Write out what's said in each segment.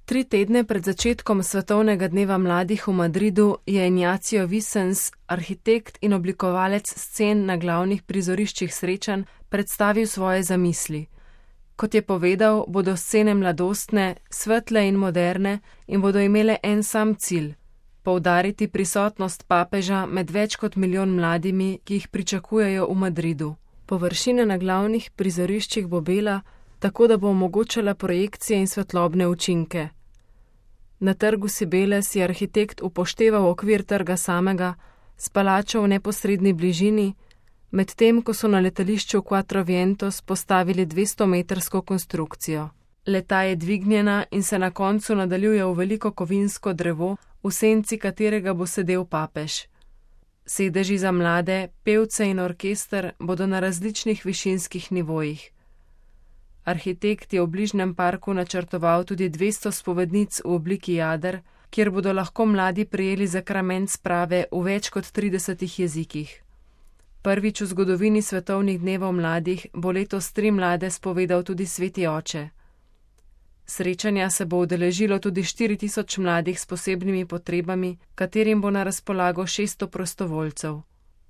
3 tedne pred začetkom Svetovnega dneva mladih v Madridu je Ignacio Vicens, arhitekt in oblikovalec scen na glavnih prizoriščih srečanj, predstavil svoje zamisli. Kot je povedal, bodo scene mladostne, svetle in moderne in bodo imele en sam cilj: poudariti prisotnost papeža med več kot milijon mladimi, ki jih pričakujejo v Madridu. Površina na glavnih prizoriščih bo bela, tako da bo omogočala projekcije in svetlobne učinke. Na trgu Cibeles je arhitekt upošteval okvir trga samega, s palačo v neposredni bližini, medtem ko so na letališču Quattro Vientos postavili 200-metrsko konstrukcijo. Leta je dvignjena in se na koncu nadaljuje v veliko kovinsko drevo, v senci katerega bo sedel papež. Sedeži za mlade, pevce in orkester bodo na različnih višinskih nivojih. Arhitekt je v bližnjem parku načrtoval tudi 200 spovednic v obliki jader, kjer bodo lahko mladi prejeli zakrament sprave v več kot 30 jezikih. Prvič v zgodovini svetovnih dnevov mladih bo letos 3 mlade spovedal tudi sveti oče. Srečanja se bo udeležilo tudi 4000 mladih s posebnimi potrebami, katerim bo na razpolago 600 prostovoljcev.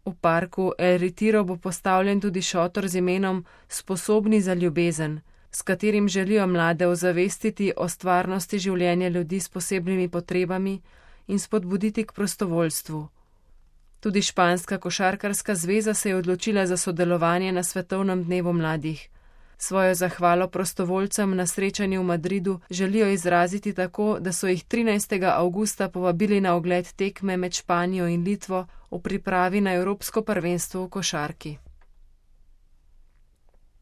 V parku El Retiro bo postavljen tudi šotor z imenom Sposobni za ljubezen, s katerim želijo mlade ozavestiti o stvarnosti življenja ljudi s posebnimi potrebami in spodbuditi k prostovoljstvu. Tudi Španska košarkarska zveza se je odločila za sodelovanje na Svetovnem dnevu mladih. Svojo zahvalo prostovoljcem na srečanju v Madridu želijo izraziti tako, da so jih 13. avgusta povabili na ogled tekme med Španijo in Litvo v pripravi na Evropsko prvenstvo v košarki.